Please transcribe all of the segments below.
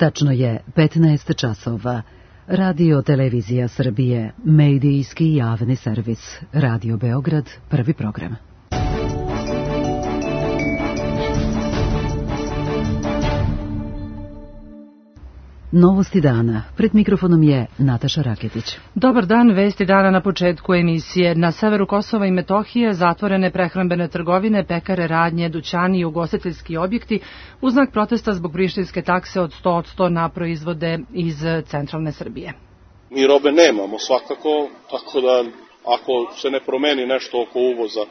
Tačno je 15 časova. Radio Televizija Srbije, medijski javni servis. Radio Beograd, prvi program. Novosti dana. Pred mikrofonom je Nataša Raketić. Dobar dan, vesti dana na početku emisije. Na severu Kosova i Metohije zatvorene prehrambene trgovine, pekare, radnje, dućani i ugostiteljski objekti u znak protesta zbog prištinske takse od 100% na proizvode iz centralne Srbije. Mi robe nemamo svakako, tako da ako se ne promeni nešto oko uvoza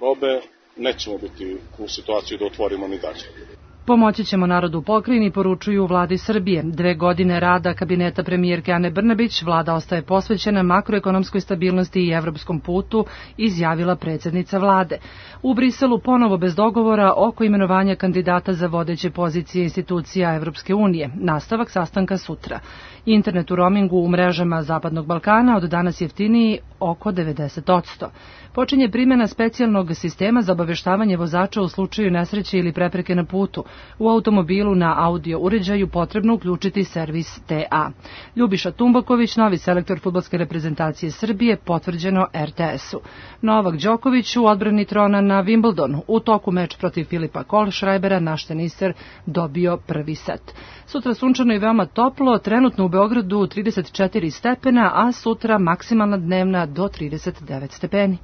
robe, nećemo biti u situaciji da otvorimo ni dalje. Pomoći ćemo narodu u pokrajini, poručuju u vladi Srbije. 2 godine rada kabineta premijerke Ane Brnabić, vlada ostaje posvećena makroekonomskoj stabilnosti i evropskom putu, izjavila predsjednica vlade. U Briselu ponovo bez dogovora oko imenovanja kandidata za vodeće pozicije institucija Evropske unije. Nastavak sastanka sutra. Internet u roamingu u mrežama Zapadnog Balkana od danas jeftiniji oko 90%. Počinje primjena specijalnog sistema za obaveštavanje vozača u slučaju nesreće ili prepreke na putu. U automobilu na audio uređaju potrebno uključiti servis TA. Ljubiša Tumbaković, novi selektor fudbalske reprezentacije Srbije, potvrđeno RTS-u. Novak Đoković u odbrani trona na Wimbledonu. U toku meč protiv Filipa Kohlschreibera naš teniser dobio prvi set. Sutra sunčano i veoma toplo, trenutno u Beogradu 34 stepena, a sutra maksimalna dnevna do 39 stepeni.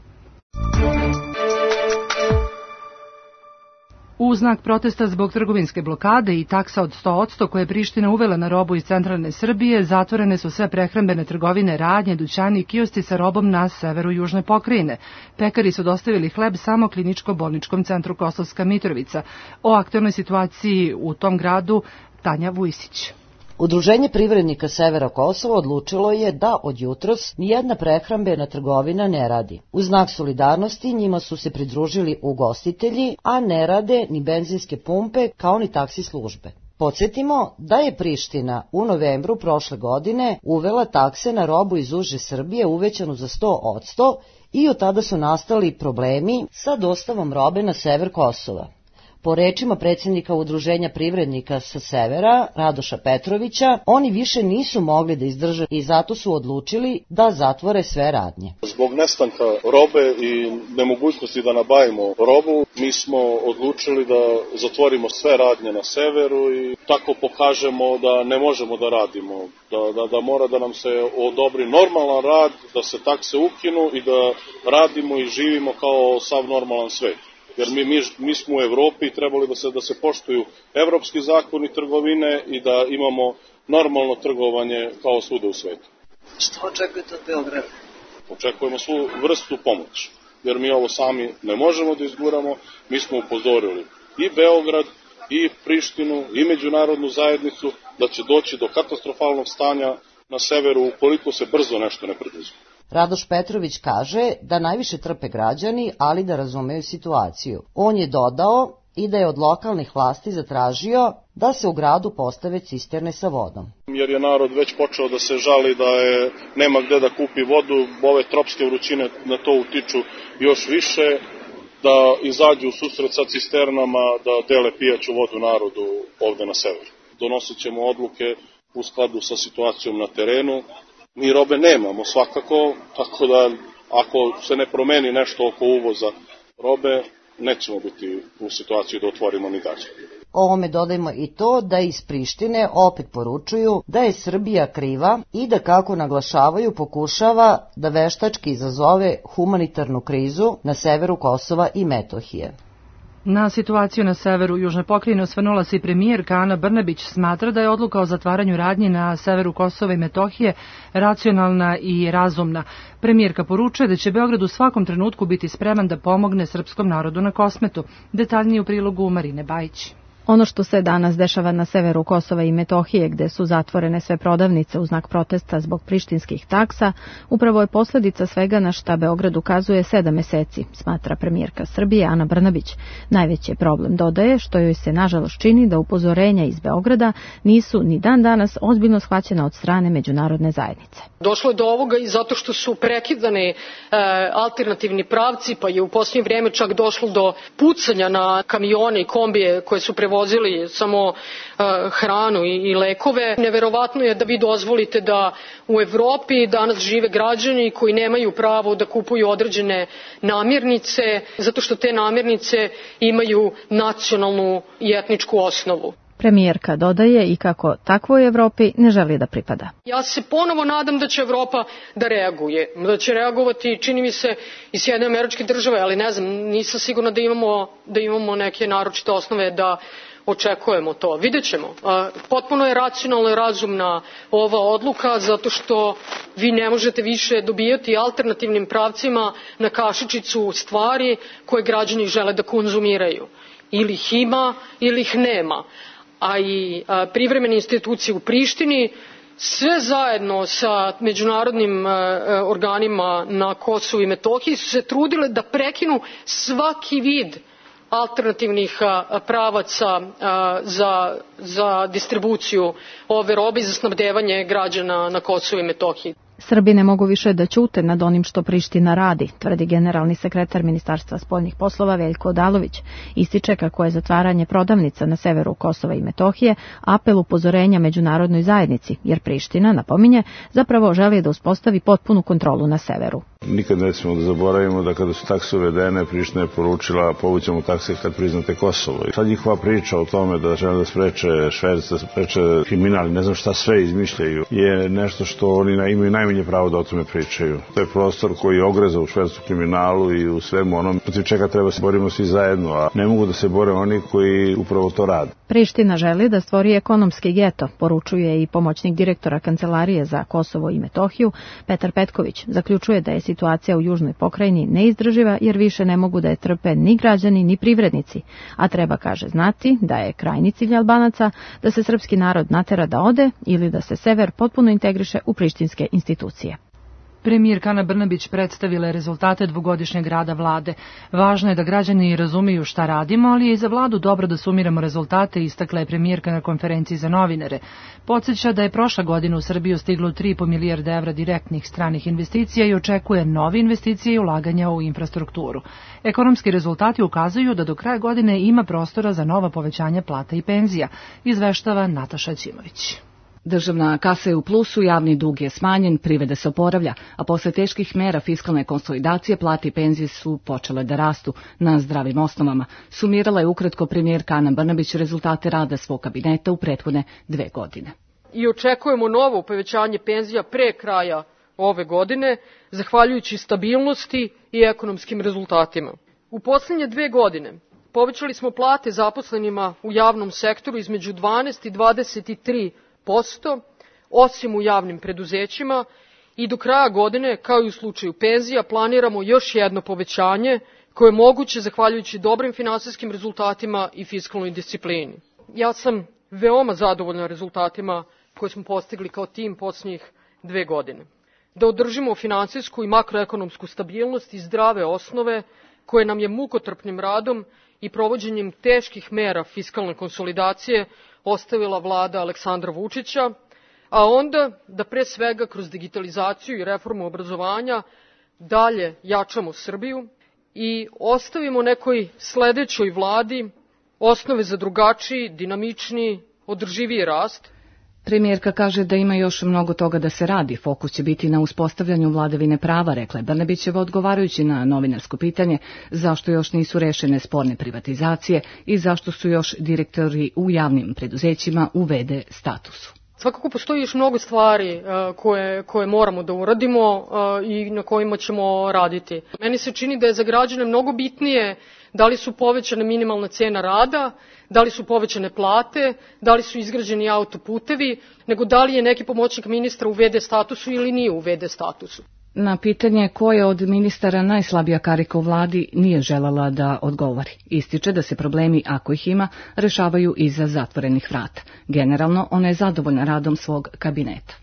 U znak protesta zbog trgovinske blokade i taksa od 100% koje je Priština uvela na robu iz centralne Srbije, zatvorene su sve prehrambene trgovine, radnje, dućani i kioski sa robom na severu južne pokrajine. Pekari su dostavili hleb samo kliničko-bolničkom centru Kosovska Mitrovica. O aktuelnoj situaciji u tom gradu Tanja Vujsić. Udruženje privrednika Severa Kosova odlučilo je da od jutros nijedna prehrambena trgovina ne radi. U znak solidarnosti njima su se pridružili ugostitelji, a ne rade ni benzinske pumpe kao ni taksi službe. Podsjetimo da je Priština u novembru prošle godine uvela takse na robu iz uže Srbije uvećanu za 100% i od tada su nastali problemi sa dostavom robe na sever Kosova. Po rečima predsjednika Udruženja privrednika sa severa, Radoša Petrovića, oni više nisu mogli da izdrže i zato su odlučili da zatvore sve radnje. Zbog nestanka robe i nemogućnosti da nabavimo robu, mi smo odlučili da zatvorimo sve radnje na severu i tako pokažemo da ne možemo da radimo, da mora da nam se odobri normalan rad, da se takse ukinu i da radimo i živimo kao sav normalan svet. Jer mi smo u Evropi i trebali da se poštuju evropski zakoni trgovine i da imamo normalno trgovanje kao svuda u svetu. Što očekujete od Beograda? Očekujemo svu vrstu pomoći, jer mi ovo sami ne možemo da izguramo. Mi smo upozorili i Beograd, i Prištinu, i međunarodnu zajednicu da će doći do katastrofalnog stanja na severu ukoliko se brzo nešto ne preduzme. Radoš Petrović kaže da najviše trpe građani, ali da razumeju situaciju. On je dodao i da je od lokalnih vlasti zatražio da se u gradu postave cisterne sa vodom. Jer je narod već počeo da se žali da nema gde da kupi vodu, ove tropske vrućine na to utiču još više, da izađu u susret sa cisternama, da dele pijaću vodu narodu ovde na severu. Donosit ćemo odluke u skladu sa situacijom na terenu. Mi robe nemamo svakako, tako da ako se ne promeni nešto oko uvoza robe, nećemo biti u situaciji da otvorimo ni dalje. Ovome dodajmo i to da iz Prištine opet poručuju da je Srbija kriva i da, kako naglašavaju, pokušava da veštački izazove humanitarnu krizu na severu Kosova i Metohije. Na situaciju na severu južne pokrajine osvrnula se i premijerka Ana Brnabić. Smatra da je odluka o zatvaranju radnji na severu Kosova i Metohije racionalna i razumna. Premijerka poručuje da će Beograd u svakom trenutku biti spreman da pomogne srpskom narodu na Kosmetu. Detaljnije u prilogu Marine Bajić. Ono što se danas dešava na severu Kosova i Metohije, gde su zatvorene sve prodavnice u znak protesta zbog prištinskih taksa, upravo je posljedica svega na šta Beograd ukazuje 7 meseci, smatra premijerka Srbije Ana Brnabić. Najveći problem, dodaje, što joj se nažalost čini da upozorenja iz Beograda nisu ni dan danas ozbiljno shvaćena od strane međunarodne zajednice. Došlo je do ovoga i zato što su prekidane alternativni pravci, pa je u posljednje vrijeme čak došlo do pucanja na kamione i kombije koje su prevoze prevozili samo hranu i lekove. Neverovatno je da vi dozvolite da u Evropi danas žive građani koji nemaju pravo da kupuju određene namirnice, zato što te namirnice imaju nacionalnu i etničku osnovu. Premijerka dodaje i kako takvoj Evropi ne želi da pripada. Ja se ponovo nadam da će Evropa da reaguje, da će reagovati, čini mi se, i Sjedinjene Američke Države, ali ne znam, nisam sigurna da imamo neke naročite osnove da očekujemo to. Vidjet ćemo. Potpuno je racionalna i razumna ova odluka, zato što vi ne možete više dobijati alternativnim pravcima na kašičicu stvari koje građani žele da konzumiraju. Ili ih ima, ili ih nema. A i privremene institucije u Prištini, sve zajedno sa međunarodnim organima na Kosovu i Metohiji su se trudile da prekinu svaki vid alternativnih pravaca za distribuciju ove robe i za snabdevanje građana na Kosovu i Metohiji. Srbi ne mogu više da ćute nad onim što Priština radi, tvrdi generalni sekretar Ministarstva spoljnih poslova Veljko Odalović. Ističe kako je zatvaranje prodavnica na severu Kosova i Metohije apel upozorenja međunarodnoj zajednici, jer Priština, napominje, zapravo želi da uspostavi potpunu kontrolu na severu. Nikad ne smemo da zaboravimo da kada su takse uvedene, Priština je poručila povućemo takse kad priznate Kosovo. I sad njihova priča o tome da žele da spreče šverc, da spreče kriminal, ne znam šta sve izmišljaju, je nešto što oni imaju najmanje pravo da o tome pričaju. To je prostor koji je ogreza u švercu, kriminalu i u svemu onom protiv čega treba se borimo svi zajedno, a ne mogu da se bore oni koji upravo to rade. Priština želi da stvori ekonomski geto, poručuje i pomoćnik direktora Kancelarije za Kosovo i Metohiju Petar Petković. Zaključuje da je situacija u južnoj pokrajini neizdrživa jer više ne mogu da je trpe ni građani ni privrednici, a treba, kaže, znati da je krajnji cilj Albanaca da se srpski narod natera da ode ili da se sever potpuno integriše u prištinske institucije. Premijerka Ana Brnabić predstavila je rezultate dvogodišnjeg rada vlade. Važno je da građani razumiju šta radimo, ali je i za vladu dobro da sumiramo rezultate, istakla je premijerka na konferenciji za novinare. Podsjeća da je prošla godina u Srbiju stiglo 3,5 milijarde evra direktnih stranih investicija i očekuje nove investicije i ulaganja u infrastrukturu. Ekonomski rezultati ukazuju da do kraja godine ima prostora za nova povećanja plata i penzija, izveštava Nataša Ćimović. Državna kasa je u plusu, javni dug je smanjen, privreda se oporavlja, a posle teških mera fiskalne konsolidacije plate i penzije su počele da rastu na zdravim osnovama. Sumirala je ukratko premijerka Ana Brnabić rezultate rada svog kabineta u prethodne 2 godine. I očekujemo novo povećanje penzija pre kraja ove godine, zahvaljujući stabilnosti i ekonomskim rezultatima. U poslednje 2 godine povećali smo plate zaposlenima u javnom sektoru između 12 i 23%, osim u javnim preduzećima, i do kraja godine, kao i u slučaju penzija, planiramo još jedno povećanje koje je moguće zahvaljujući dobrim finansijskim rezultatima i fiskalnoj disciplini. Ja sam veoma zadovoljna rezultatima koje smo postigli kao tim posljednjih 2 godine. Da održimo finansijsku i makroekonomsku stabilnost i zdrave osnove koje nam je mukotrpnim radom i provođenjem teških mera fiskalne konsolidacije ostavila vlada Aleksandra Vučića, a onda da pre svega kroz digitalizaciju i reformu obrazovanja dalje jačamo Srbiju i ostavimo nekoj sledećoj vladi osnove za drugačiji, dinamičniji, održiviji rast. Premijerka kaže da ima još mnogo toga da se radi. Fokus će biti na uspostavljanju vladavine prava, rekla je Brnabićeva odgovarajući na novinarsko pitanje zašto još nisu rešene sporne privatizacije i zašto su još direktori u javnim preduzećima u v.d. statusu. Svakako postoji još mnogo stvari koje moramo da uradimo i na kojima ćemo raditi. Meni se čini da je za građane mnogo bitnije da li su povećane minimalna cena rada, da li su povećane plate, da li su izgrađeni autoputevi, nego da li je neki pomoćnik ministra u v.d. statusu ili nije u v.d. statusu. Na pitanje ko je od ministara najslabija karika u vladi nije želela da odgovori. Ističe da se problemi, ako ih ima, rešavaju iza zatvorenih vrata. Generalno, ona je zadovoljna radom svog kabineta.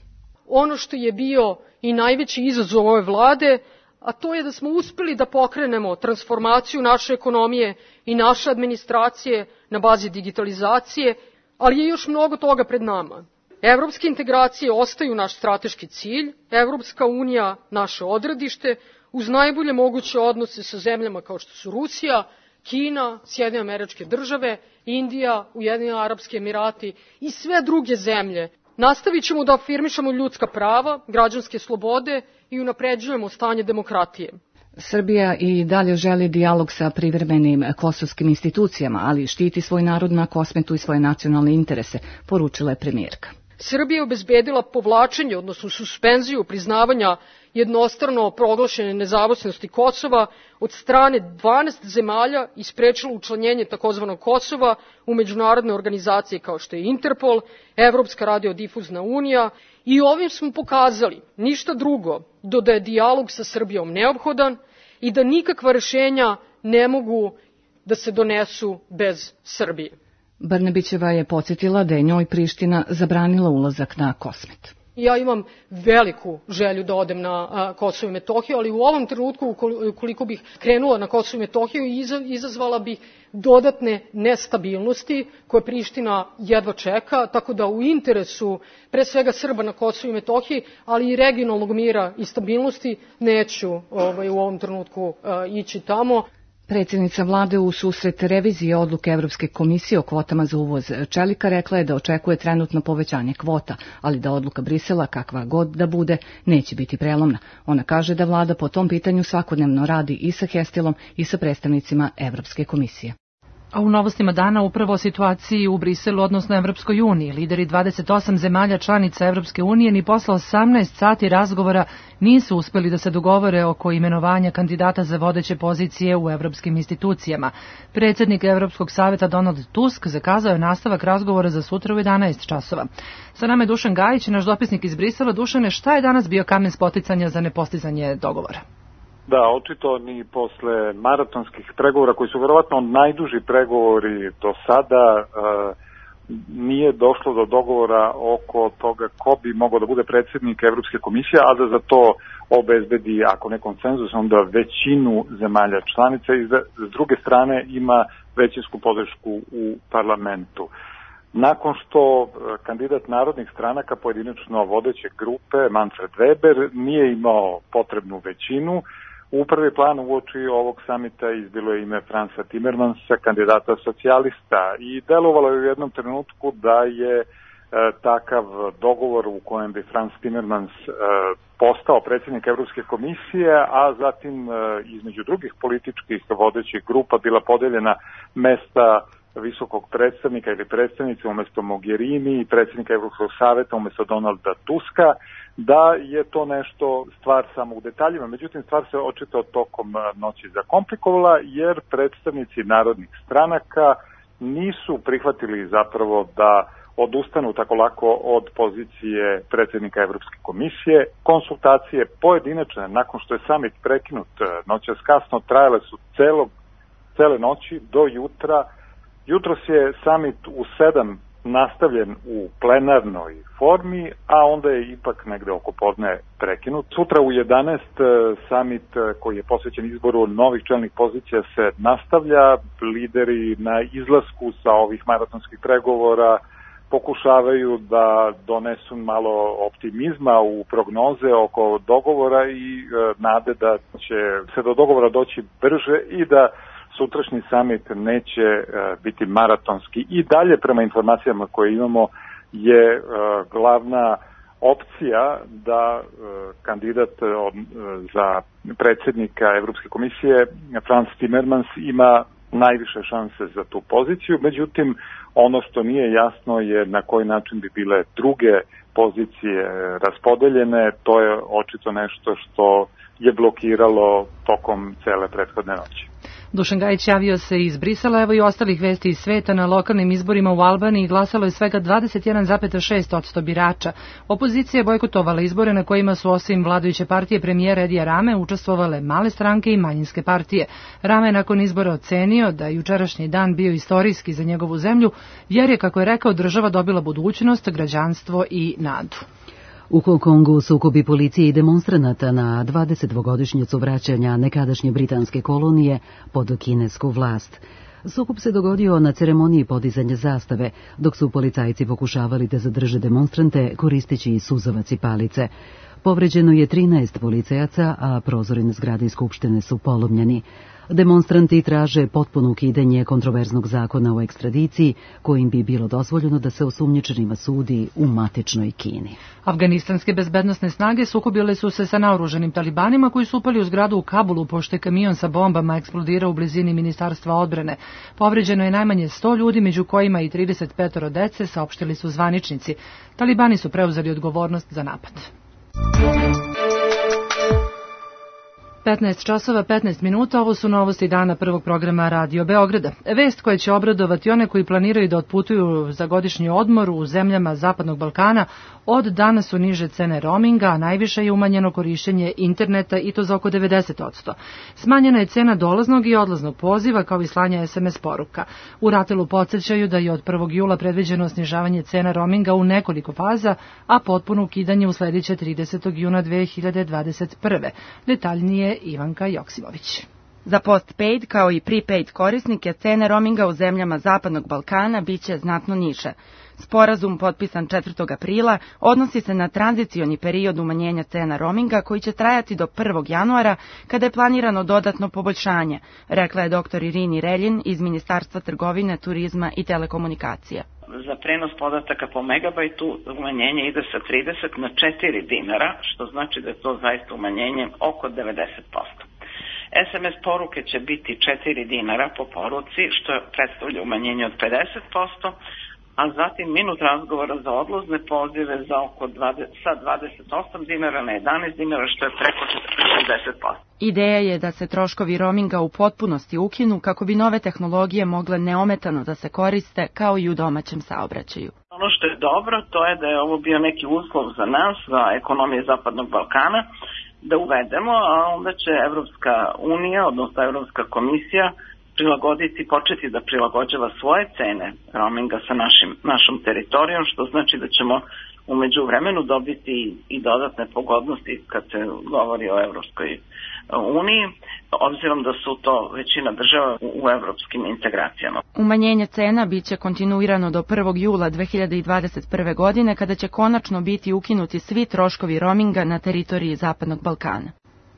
Ono što je bio i najveći izazov ove vlade, a to je da smo uspeli da pokrenemo transformaciju naše ekonomije i naše administracije na bazi digitalizacije, ali je još mnogo toga pred nama. Evropske integracije ostaju naš strateški cilj, Evropska unija naše odredište, uz najbolje moguće odnose sa zemljama kao što su Rusija, Kina, Sjedinjene Američke Države, Indija, Ujedinjeni Arapski Emirati i sve druge zemlje. Nastavit ćemo da afirmišemo ljudska prava, građanske slobode i unapređujemo stanje demokratije. Srbija i dalje želi dijalog sa privremenim kosovskim institucijama, ali štiti svoj narod na Kosmetu i svoje nacionalne interese, poručila je premijerka. Srbija je obezbedila povlačenje, odnosno suspenziju priznavanja jednostrano proglašene nezavisnosti Kosova od strane 12 zemalja i sprečila učlanjenje takozvanog Kosova u međunarodne organizacije kao što je Interpol, Evropska radiodifuzna unija i ovim smo pokazali ništa drugo do da je dijalog sa Srbijom neophodan i da nikakva rešenja ne mogu da se donesu bez Srbije. Brnabićeva je podsjetila da je njoj Priština zabranila ulazak na Kosmet. Ja imam veliku želju da odem na Kosovo i Metohiju, ali u ovom trenutku, ukoliko bih krenula na Kosovo i Metohiju, izazvala bih dodatne nestabilnosti koje Priština jedva čeka, tako da u interesu pre svega Srba na Kosovo i Metohiji, ali i regionalnog mira i stabilnosti neću u ovom trenutku ići tamo. Predsjednica vlade u susret revizije odluke Evropske komisije o kvotama za uvoz čelika rekla je da očekuje trenutno povećanje kvota, ali da odluka Brisela, kakva god da bude, neće biti prelomna. Ona kaže da vlada po tom pitanju svakodnevno radi i sa Hestilom i sa predstavnicima Evropske komisije. A u novostima dana upravo o situaciji u Briselu, odnosno Evropskoj uniji. Lideri 28 zemalja članica Evropske unije ni posle 18 sati razgovora nisu uspeli da se dogovore oko imenovanja kandidata za vodeće pozicije u evropskim institucijama. Predsjednik Evropskog saveta Donald Tusk zakazao je nastavak razgovora za sutra u 11 časova. Sa nama je Dušan Gajić, naš dopisnik iz Brisela. Dušane, šta je danas bio kamen spoticanja za nepostizanje dogovora? Da, očito ni posle maratonskih pregovora, koji su verovatno najduži pregovori do sada, nije došlo do dogovora oko toga ko bi mogao da bude predsjednik Evropske komisije, a da za to obezbedi, ako ne konsenzus, onda većinu zemalja članica i s druge strane ima većinsku podršku u parlamentu. Nakon što kandidat narodnih stranaka, pojedinačno vodeće grupe, Manfred Weber, nije imao potrebnu većinu, u prvi plan uoči ovog samita izbilo je ime Fransa Timmermansa, kandidata socijalista, i delovalo je u jednom trenutku da je takav dogovor u kojem bi Frans Timmermans postao predsjednik Evropske komisije, a zatim između drugih političkih vodećih grupa bila podeljena mesta visokog predstavnika ili predstavnice umjesto Mogherini i predsjednika Evropskog saveta umjesto Donalda Tuska, da je to nešto stvar samo u detaljima. Međutim, stvar se očito tokom noći zakomplikovala, jer predstavnici narodnih stranaka nisu prihvatili zapravo da odustanu tako lako od pozicije predsjednika Evropske komisije. Konsultacije pojedinačne, nakon što je samit prekinut noćas kasno, trajale su cele noći do jutra. Jutros je samit u 7 nastavljen u plenarnoj formi, a onda je ipak negde oko podne prekinut. Sutra u 11 samit koji je posvećen izboru novih čelnih pozicija se nastavlja. Lideri na izlasku sa ovih maratonskih pregovora pokušavaju da donesu malo optimizma u prognoze oko dogovora i nade da će se do dogovora doći brže i da sutrašnji samit neće biti maratonski. I dalje, prema informacijama koje imamo, je glavna opcija da kandidat za predsjednika Evropske komisije Frans Timmermans ima najviše šanse za tu poziciju. Međutim, ono što nije jasno je na koji način bi bile druge pozicije raspodeljene. To je očito nešto što je blokiralo tokom cele prethodne noći. Dušan Gajić javio se iz Brisela, evo i ostalih vesti iz sveta. Na lokalnim izborima u Albaniji glasalo je svega 21,6% birača. Opozicija je bojkotovala izbore na kojima su osim vladajuće partije premijera Edija Rame učestvovale male stranke i manjinske partije. Rame je nakon izbora ocenio da je jučerašnji dan bio istorijski za njegovu zemlju, jer je, kako je rekao, država dobila budućnost, građanstvo i nadu. U Hong Kongu sukobi policije i demonstranata na 20-godišnjicu vraćanja nekadašnje britanske kolonije pod kinesku vlast. Sukob se dogodio na ceremoniji podizanja zastave, dok su policajci pokušavali da zadrže demonstrante koristeći suzavac i palice. Povređeno je 13 policajaca, a prozori na zgradi Skupštine su polomljeni. Demonstranti traže potpuno ukidanje kontroverznog zakona o ekstradiciji, kojim bi bilo dozvoljeno da se osumnjičenima sudi u matičnoj Kini. Afganistanske bezbednosne snage sukobile su se sa naoružanim talibanima koji su upali u zgradu u Kabulu, pošto je kamion sa bombama eksplodirao u blizini Ministarstva odbrane. Povređeno je najmanje 100 ljudi, među kojima i 35 dece, saopštili su zvaničnici. Talibani su preuzeli odgovornost za napad. 15 časova, 15 minuta, ovo su novosti dana prvog programa Radio Beograda. Vest koja će obradovati one koji planiraju da otputuju za godišnji odmor u zemljama Zapadnog Balkana, od danas su niže cene roaminga, a najviše je umanjeno korišćenje interneta i to za oko 90%. Smanjena je cena dolaznog i odlaznog poziva kao i slanja SMS poruka. U RATEL-u podsjećaju da je od 1. jula predviđeno snižavanje cena roaminga u nekoliko faza, a potpuno ukidanje usledeće 30. juna 2021. Detaljnije Ivanka Joksimović. Za postpaid kao i prepaid korisnike cene roaminga u zemljama Zapadnog Balkana biće znatno niže. Sporazum potpisan 4. aprila odnosi se na tranzicioni period umanjenja cena roaminga koji će trajati do 1. januara kada je planirano dodatno poboljšanje, rekla je dr. Irini Reljin iz Ministarstva trgovine, turizma i telekomunikacija. Za prenos podataka po megabajtu umanjenje ide sa 30 na 4 dinara, što znači da je to zaista umanjenje oko 90%. SMS poruke će biti 4 dinara po poruci, što predstavlja umanjenje od 50%, a zatim minut razgovora za odlazne pozive za oko sa 28 dinara na 11 dinara, što je preko 60%. Ideja je da se troškovi roaminga u potpunosti ukinu kako bi nove tehnologije mogle neometano da se koriste kao i u domaćem saobraćaju. Ono što je dobro, to je da je ovo bio neki uslov za nas, za ekonomije Zapadnog Balkana, da uvedemo, a onda će Evropska unija, odnosno Evropska komisija, početi da prilagođava svoje cene roaminga sa našom teritorijom, što znači da ćemo u međuvremenu dobiti i dodatne pogodnosti kad se govori o Evropskoj uniji, obzirom da su to većina država u evropskim integracijama. Umanjenje cena biće kontinuirano do 1. jula 2021. godine, kada će konačno biti ukinuti svi troškovi roaminga na teritoriji Zapadnog Balkana.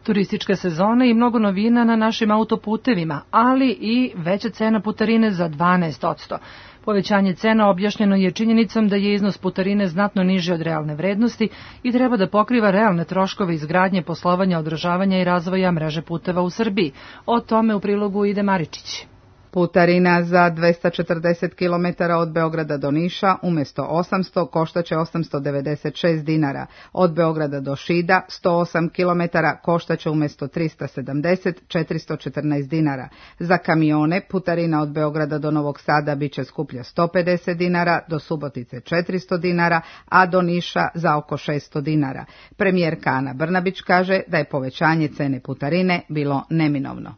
Turistička sezona i mnogo novina na našim autoputevima, ali i veća cena putarine za 12%. Povećanje cena objašnjeno je činjenicom da je iznos putarine znatno niži od realne vrednosti i treba da pokriva realne troškove izgradnje, poslovanja, održavanja i razvoja mreže puteva u Srbiji. O tome u prilogu ide Maričić. Putarina za 240 km od Beograda do Niša umjesto 800 koštaće 896 dinara. Od Beograda do Šida 108 km koštaće umjesto 370 414 dinara. Za kamione putarina od Beograda do Novog Sada biće skuplja 150 dinara, do Subotice 400 dinara, a do Niša za oko 600 dinara. Premijerka Ana Brnabić kaže da je povećanje cene putarine bilo neminovno.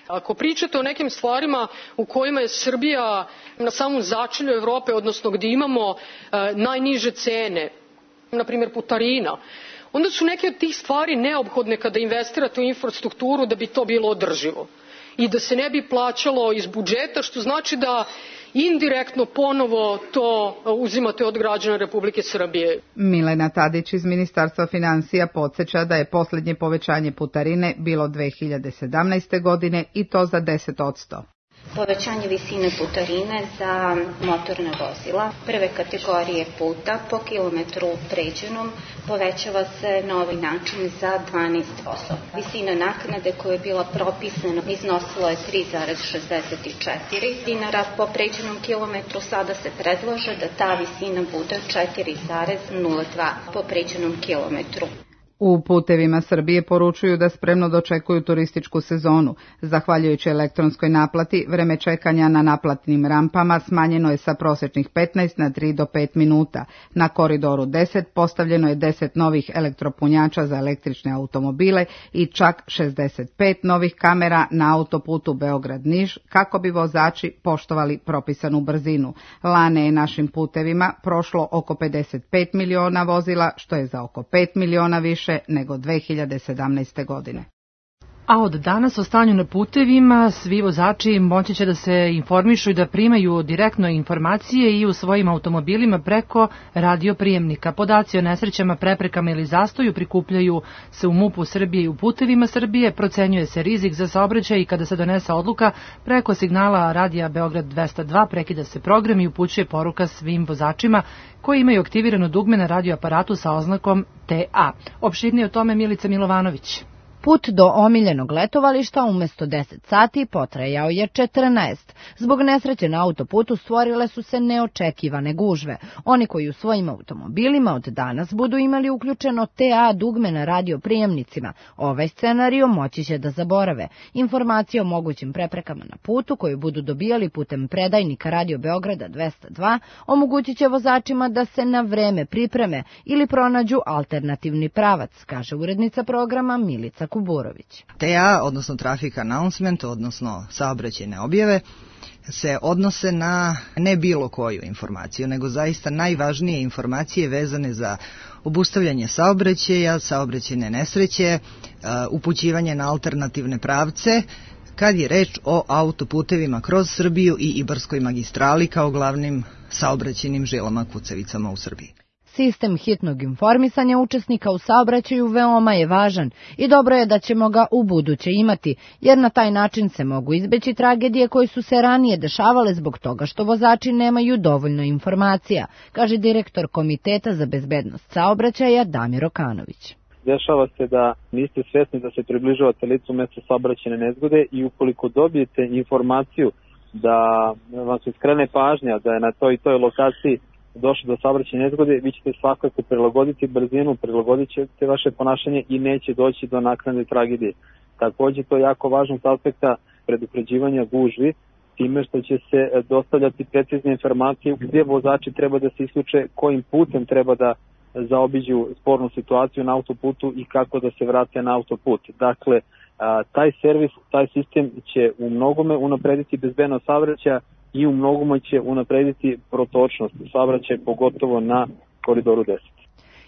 Ako pričate o nekim stvarima u kojima je Srbija na samom začelju Evrope, odnosno gdje imamo najniže cene, na primjer putarina, onda su neke od tih stvari neophodne kada investirate u infrastrukturu da bi to bilo održivo i da se ne bi plaćalo iz budžeta, što znači da indirektno ponovo to uzimate od građana Republike Srbije. Milena Tadić iz Ministarstva financija podsjeća da je posljednje povećanje putarine bilo 2017. godine i to za 10%. Povećanje visine putarine za motorna vozila prve kategorije puta po kilometru pređenom povećava se na ovaj način za 12%. Visina naknade koja je bila propisana iznosila je 3,64 dinara po pređenom kilometru, sada se predlaže da ta visina bude 4,02 po pređenom kilometru. U Putevima Srbije poručuju da spremno dočekuju turističku sezonu. Zahvaljujući elektronskoj naplati, vreme čekanja na naplatnim rampama smanjeno je sa prosječnih 15 na 3 do 5 minuta. Na koridoru 10 postavljeno je 10 novih elektropunjača za električne automobile i čak 65 novih kamera na autoputu Beograd-Niš kako bi vozači poštovali propisanu brzinu. Lane je našim putevima prošlo oko 55 miliona vozila, što je za oko 5 miliona više nego 2017. godine. A od danas o stanju na putevima svi vozači moći će da se informišu i da primaju direktno informacije i u svojim automobilima preko radioprijemnika. Podaci o nesrećama, preprekama ili zastoju prikupljaju se u MUP-u Srbije i u putevima Srbije, procenjuje se rizik za saobraćaj i kada se donese odluka preko signala radija Beograd 202 prekida se program i upućuje poruka svim vozačima koji imaju aktivirano dugme na radioaparatu sa oznakom TA. Opširnije o tome Milica Milovanović. Put do omiljenog letovališta umesto 10 sati potrajao je 14. Zbog nesreće na autoputu stvorile su se neočekivane gužve. Oni koji u svojim automobilima od danas budu imali uključeno TA dugme na radioprijemnicima, ovaj scenario moći će da zaborave. Informacije o mogućim preprekama na putu koju budu dobijali putem predajnika Radio Beograda 202 omogućit će vozačima da se na vreme pripreme ili pronađu alternativni pravac, kaže urednica programa Milica Kuburović. TA, odnosno Traffic Announcement, odnosno saobraćajne objave, se odnose na ne bilo koju informaciju, nego zaista najvažnije informacije vezane za obustavljanje saobraćaja, saobraćajne nesreće, upućivanje na alternativne pravce, kad je reč o autoputevima kroz Srbiju i Ibarskoj magistrali kao glavnim saobraćajnim žilama kucavicama u Srbiji. Sistem hitnog informisanja učesnika u saobraćaju veoma je važan i dobro je da ćemo ga u buduće imati, jer na taj način se mogu izbeći tragedije koje su se ranije dešavale zbog toga što vozači nemaju dovoljno informacija, kaže direktor Komiteta za bezbednost saobraćaja Damir Okanović. Dešava se da niste svesni da se približavate licu mesta saobraćajne nezgode i ukoliko dobijete informaciju da vam se skrene pažnja da je na toj i toj lokaciji došlo do saobraćajne nezgode, vi ćete svakako prilagoditi brzinu, prilagodit ćete vaše ponašanje i neće doći do naknadne tragedije. Takođe, to je jako važno s aspekta predupređivanja gužvi, time što će se dostavljati precizne informacije gdje vozači treba da se isključe, kojim putem treba da zaobiđu spornu situaciju na autoputu i kako da se vrate na autoput. Dakle, taj servis, taj sistem će u mnogome unaprediti bezbednost saobraćaja i u mnogome će unaprediti protočnost saobraćaja, pogotovo na Koridoru 10.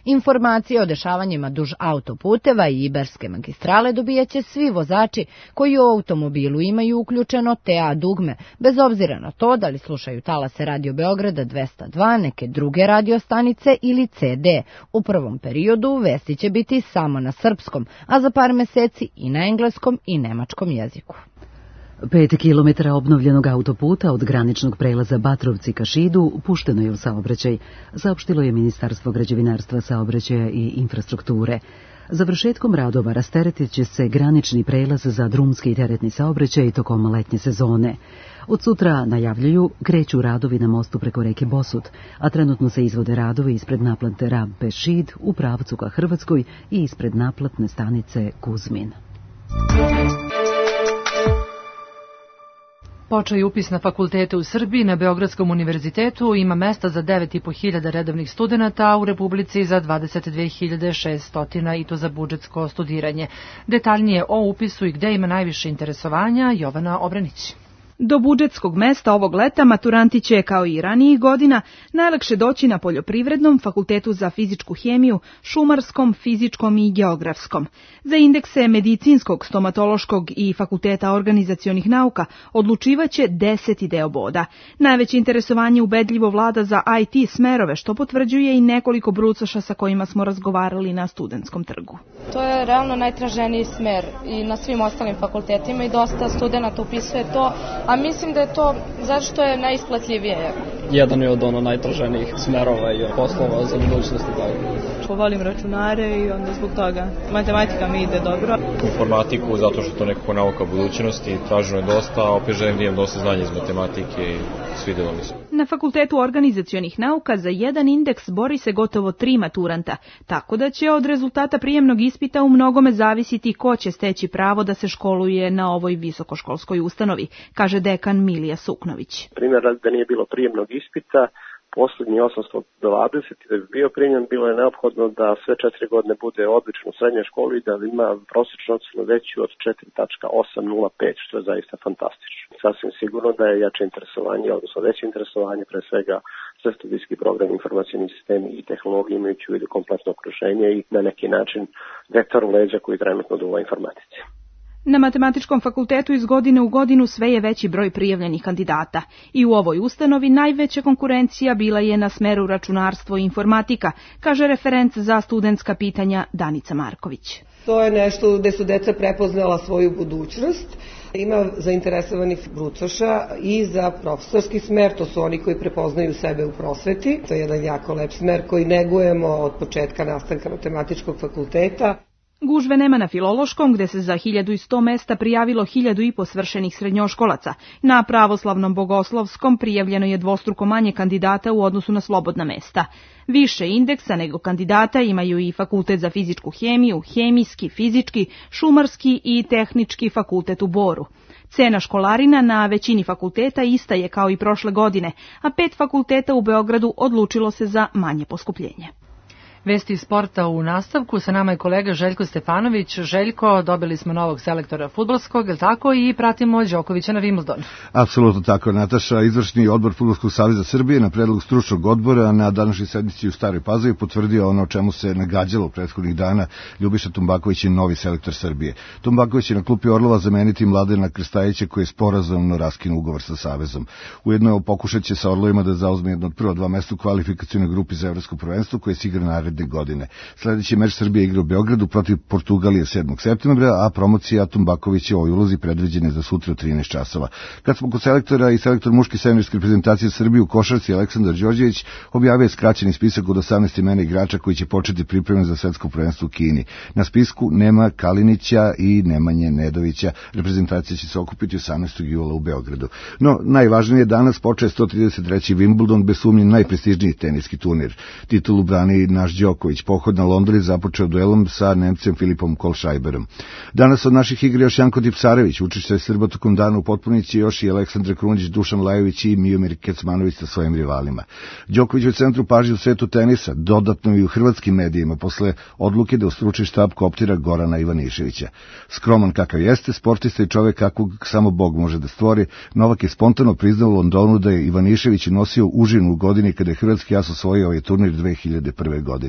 Informacije o dešavanjima duž autoputeva i Ibarske magistrale dobijaće svi vozači koji u automobilu imaju uključeno TA dugme, bez obzira na to da li slušaju talase Radio Beograda 202, neke druge radiostanice ili CD. U prvom periodu vesti će biti samo na srpskom, a za par meseci i na engleskom i nemačkom jeziku. 5 kilometara obnovljenog autoputa od graničnog prelaza Batrovci ka Šidu pušteno je u saobraćaj, saopštilo je Ministarstvo građevinarstva, saobraćaja i infrastrukture. Završetkom radova rasteretit će se granični prelaz za drumski i teretni saobraćaj tokom letnje sezone. Od sutra, najavljuju, kreću radovi na mostu preko reke Bosut, a trenutno se izvode radovi ispred naplatne rampe Šid u pravcu ka Hrvatskoj i ispred naplatne stanice Kuzmin. Počeo je upis na fakultete u Srbiji. Na Beogradskom univerzitetu ima mesta za 9.500 redovnih studenata, a u Republici za 22.600 i to za budžetsko studiranje. Detaljnije o upisu i gde ima najviše interesovanja Jovana Obranić. Do budžetskog mesta ovog leta maturanti će, kao i ranijih godina, najlakše doći na Poljoprivrednom, Fakultetu za fizičku hemiju, Šumarskom, Fizičkom i Geografskom. Za indekse Medicinskog, Stomatološkog i Fakulteta organizacionih nauka odlučivaće 10 deo boda. Najveće interesovanje ubedljivo vlada za IT smerove, što potvrđuje i nekoliko brucoša sa kojima smo razgovarali na Studentskom trgu. To je realno najtraženiji smer i na svim ostalim fakultetima i dosta studenta upisuje to, a mislim da je to zašto je najisplativije. Jedan je od najtraženijih smerova i poslova za budućnosti. Volim računare i onda zbog toga matematika mi ide dobro. Informatiku zato što to nekako nauka budućnosti, traženo je dosta, a opet želim da imam dosta znanja iz matematike i svidjelo mi se. Na Fakultetu organizacionih nauka za jedan indeks bori se gotovo 3 maturanta, tako da će od rezultata prijemnog ispita u mnogome zavisiti ko će steći pravo da se školuje na ovoj visokoškolskoj ustanovi, kaže dekan Milija Suknović. Primjer, da nije bilo prijemnog ispita, posljednji 820 da bi bio primljen, bilo je neophodno da sve 4 godine bude odlično u srednjoj školi i da ima prosječnu ocenu veću od 4.805, što je zaista fantastično. Sasvim sigurno da je jače interesovanje, odnosno veće interesovanje, pre svega sve studijski program, informacijni sistemi i tehnologije imajući u vidu kompletno okruženje i na neki način vektor u leđa koji trenutno duva informatici. Na Matematičkom fakultetu iz godine u godinu sve je veći broj prijavljenih kandidata i u ovoj ustanovi najveća konkurencija bila je na smeru računarstvo i informatika, kaže referent za studentska pitanja Danica Marković. To je nešto gde su deca prepoznala svoju budućnost. Ima zainteresovanih brucoša i za profesorski smer, to su oni koji prepoznaju sebe u prosveti. To je jedan jako lep smer koji negujemo od početka nastanka Matematičkog fakulteta. Gužve nema na Filološkom, gde se za 1100 mesta prijavilo 1500 svršenih srednjoškolaca. Na Pravoslavnom Bogoslovskom prijavljeno je dvostruko manje kandidata u odnosu na slobodna mesta. Više indeksa nego kandidata imaju i Fakultet za fizičku hemiju, Hemijski, Fizički, Šumarski i Tehnički fakultet u Boru. Cena školarina na većini fakulteta ista je kao i prošle godine, a 5 fakulteta u Beogradu odlučilo se za manje poskupljenje. Vesti iz sporta u nastavku, sa nama je kolega Željko Stefanović. Željko, dobili smo novog selektora fudbalskog, tako i pratimo Đokovića na Wimbledonu. Apsolutno tako, Nataša. Izvršni odbor Fudbalskog saveza Srbije na predlog stručnog odbora na današnjoj sednici u Staroj Pazovi potvrdio ono o čemu se nagađalo prethodnih dana. Ljubiša Tumbaković je novi selektor Srbije. Tumbaković je na klupi Orlova zameniti Mladena Krstajića koji je sporazumno raskinuo ugovor sa savezom. Ujedno pokušat će sa Orlovima da zauzme jedno od prva 2 mesta u kvalifikacionoj grupi za evropsko prvenstvo koje se igra naredne godine. Sljedeći meč Srbije igra u Beogradu protiv Portugalije 7. septembra, a promocija Tumbakovića u ovoj ulozi predviđena je za sutra u 13 časova. Kad smo kod selektora, i selektor muške seniorske reprezentacije Srbije u košarci Aleksandar Đorđević objavio je skraćeni spisak od 18 imena igrača koji će početi pripreme za svetsko prvenstvo u Kini. Na spisku nema Kalinića i Nemanje Nedovića. Reprezentacija će se okupiti 18. jula u Beogradu. No, najvažnije je danas počeo 133. Wimbledon, bez sumnje najprestižniji teniski turnir. Titulu brani naš Đoković. Pohod na London je započeo duelom sa Nemcem Filipom Kolšajberom. Danas od naših igra još Janko Tipsarević, učešće Srba tokom dana u potpunici, još i Aleksandar Krunić, Dušan Lajović i Miomir Kecmanović sa svojim rivalima. Đoković je u centru pažnje u svetu tenisa, dodatno i u hrvatskim medijima, posle odluke da u stručni štab kooptira Gorana Ivaniševića. Skroman kakav jeste, sportista i čovek kakvog samo Bog može da stvori, Novak je spontano priznao u Londonu da je Ivanišević nosio užinu u godini kada je hrvatski as osvojio ovaj turnir 2001. godine.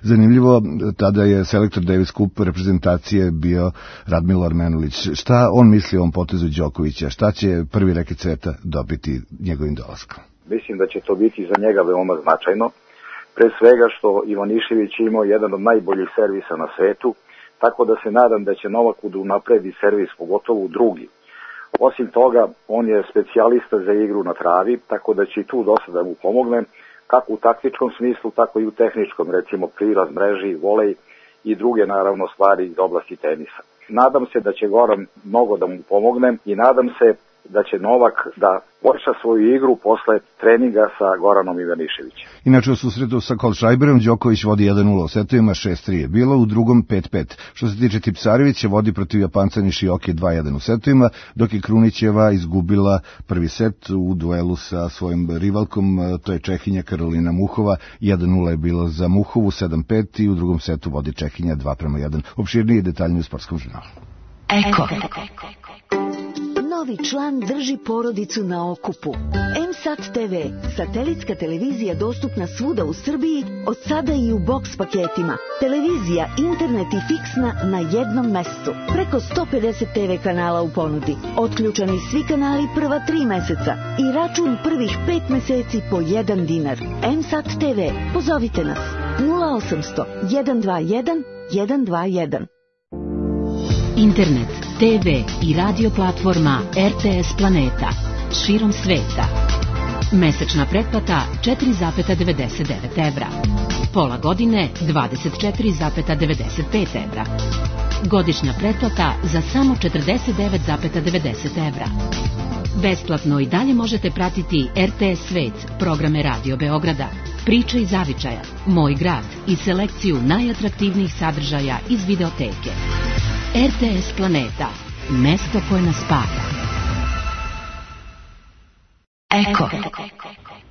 Zanimljivo, tada je selektor Davis Cup reprezentacije bio Radmilo Armenulić. Šta on misli o ovom potezu Đokovića? Šta će prvi reket sveta dobiti njegovim dolaskom? Mislim da će to biti za njega veoma značajno. Pre svega što Ivanišević imao jedan od najboljih servisa na svetu, tako da se nadam da će Novak unapredi servis, pogotovo u drugi. Osim toga, on je specijalista za igru na travi, tako da će i tu dosta da mu pomogne, kako u taktičkom smislu, tako i u tehničkom, recimo prilaz, mreži, volej i druge naravno stvari iz oblasti tenisa. Nadam se da će Goran mnogo da mu pomogne i nadam se da će Novak da počne svoju igru posle treninga sa Goranom Ivaniševićem. Inače u susretu sa Kolšajberom Đoković vodi 1-0, u setovima 6-3 je bilo, u drugom 5-5. Što se tiče Tipsarevića, vodi protiv Japanca Nishioke 2-1 u setovima, dok je Krunićeva izgubila prvi set u duelu sa svojim rivalkom, to je Čehinja Karolina Muhova, 1-0 je bilo za Muhovu, 7-5 i u drugom setu vodi Čehinja 2-1. Opširnije i detaljnije u sportskom žurnalu. Eko. Novi član drži porodicu na okupu. M-Sat TV, satelitska televizija dostupna svuda u Srbiji, od sada i u boks paketima. Televizija, internet i fiksna na jednom mestu. Preko 150 TV kanala u ponudi. Otključani svi kanali prva 3 meseca i račun prvih 5 meseci po 1 dinar. M-Sat TV, pozovite nas 0800 121 121. Internet, TV i radio platforma RTS Planeta. Širom sveta. Mesečna pretplata 4,99 evra. Pola godine 24,95 evra. Godišnja pretplata za samo 49,90 evra. Besplatno i dalje možete pratiti RTS Svet, programe Radio Beograda, Priče iz Zavičaja, Moj grad i selekciju najatraktivnijih sadržaja iz videoteke. RTS Planeta, mesto koje nas spaja. Eko.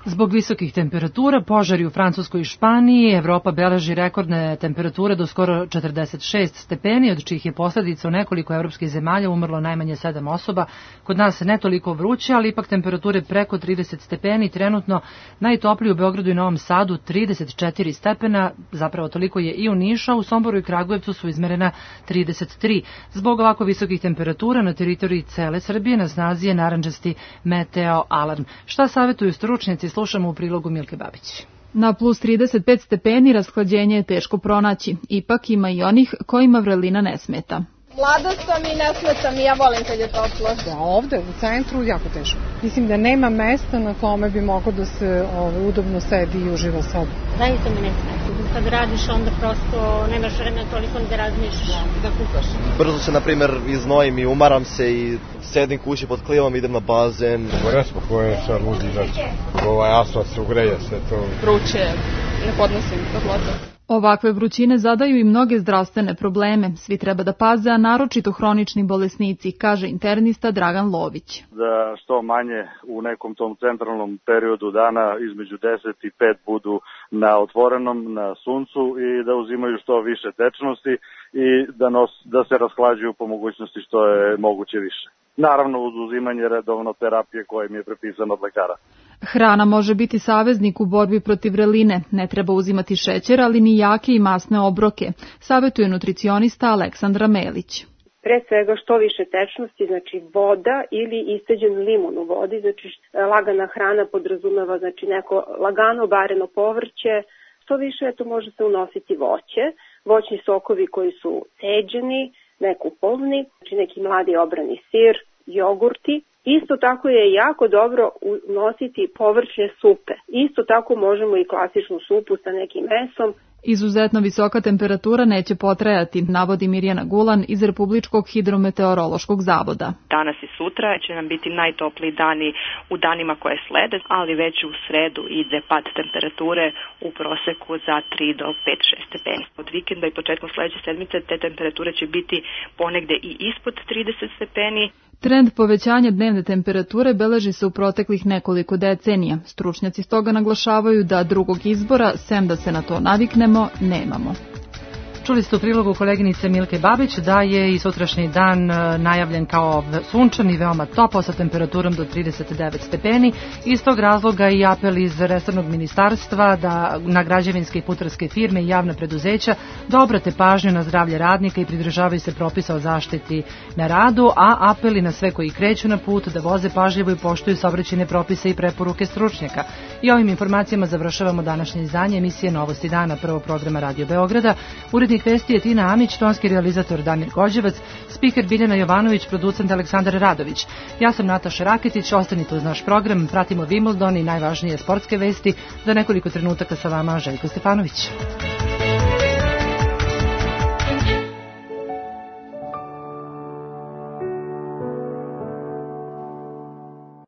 Zbog visokih temperatura, požari u Francuskoj i Španiji, Evropa beleži rekordne temperature do skoro 46 stepeni, od čijih je posljedica u nekoliko evropskih zemalja umrlo najmanje 7 osoba. Kod nas ne toliko vruće, ali ipak temperature preko 30 stepeni, trenutno najtopliji u Beogradu i Novom Sadu 34 stepena, zapravo toliko je i u Nišu, u Somboru i Kragujevcu su izmerena 33. Zbog ovako visokih temperatura na teritoriji cele Srbije na snazi je narandžasti meteo alarm. Šta savjetuju stručnjaci? Slušamo u prilogu Milke Babić. Na plus 35 stepeni rashlađenje je teško pronaći. Ipak ima i onih kojima vrelina ne smeta. Mlada sam i ne smetam i ja volim kad je toplo. Da, ovde u centru jako teško. Mislim da nema mesta na kome bi moglo da se udobno sedi i uživa sad. Zaista mi ne smeta. Kad radiš onda prosto nemaš vremena toliko da razmišljaš. Da kukaš. Brzo se, na primjer, iznojim i umaram se i sedim kući pod klimom, idem na bazen. Resmo koje je sad ludi izaći. Asfalt se ugreje sve to. Vruće, ne podnosim toplotu. Ovakve vrućine zadaju i mnoge zdravstvene probleme. Svi treba da paze, a naročito hronični bolesnici, kaže internista Dragan Lović. Da što manje u nekom tom centralnom periodu dana između 10 i 5 budu na otvorenom, na suncu i da uzimaju što više tečnosti i da se rashlađuju po mogućnosti što je moguće više. Naravno uz uzimanje redovno terapije koje im je prepisano od lekara. Hrana može biti saveznik u borbi protiv vreline. Ne treba uzimati šećer, ali ni jake i masne obroke, savjetuje nutricionista Aleksandra Melić. Pre svega što više tečnosti, znači voda ili isceđen limun u vodi, znači lagana hrana podrazumeva znači neko lagano bareno povrće, što više može se unositi voće, voćni sokovi koji su ceđeni, nekupolni, znači neki mladi obrani sir, jogurti. Isto tako je jako dobro unositi povrćne supe. Isto tako možemo i klasičnu supu sa nekim mesom. Izuzetno visoka temperatura neće potrajati, navodi Mirjana Gulan iz Republičkog hidrometeorološkog zavoda. Danas i sutra će nam biti najtopliji dani u danima koje slede, ali već u sredu ide pad temperature u proseku za 3 do 5-6 stepeni. Od vikenda i početkom sledeće sedmice te temperature će biti ponegde i ispod 30 stepeni. Trend povećanja dnevne temperature beleži se u proteklih nekoliko decenija. Stručnjaci stoga naglašavaju da drugog izbora, sem da se na to naviknemo, nemamo. Čuli ste u prilogu koleginice Milke Babić da je i sutrašnji dan najavljen kao sunčan i veoma topao sa temperaturom do 39 stepeni. Iz tog razloga i apel iz resornog ministarstva da na građevinske i putarske firme i javna preduzeća da obrate pažnju na zdravlje radnika i pridržavaju se propisa o zaštiti na radu, a apeli na sve koji kreću na put da voze pažljivo i poštuju saobraćajne propise i preporuke stručnjaka. I ovim informacijama završavamo današnje izdanje emisije Novosti dana prvog programa Radio Beograda. Urednik vesti je Tina Amić, tonski realizator Damir Gođevac, spiker Biljana Jovanović, producent Aleksandar Radović. Ja sam Nataša Raketić, ostanite uz naš program, pratimo Wimbledon i najvažnije sportske vesti. Za nekoliko trenutaka sa vama Željko Stefanović.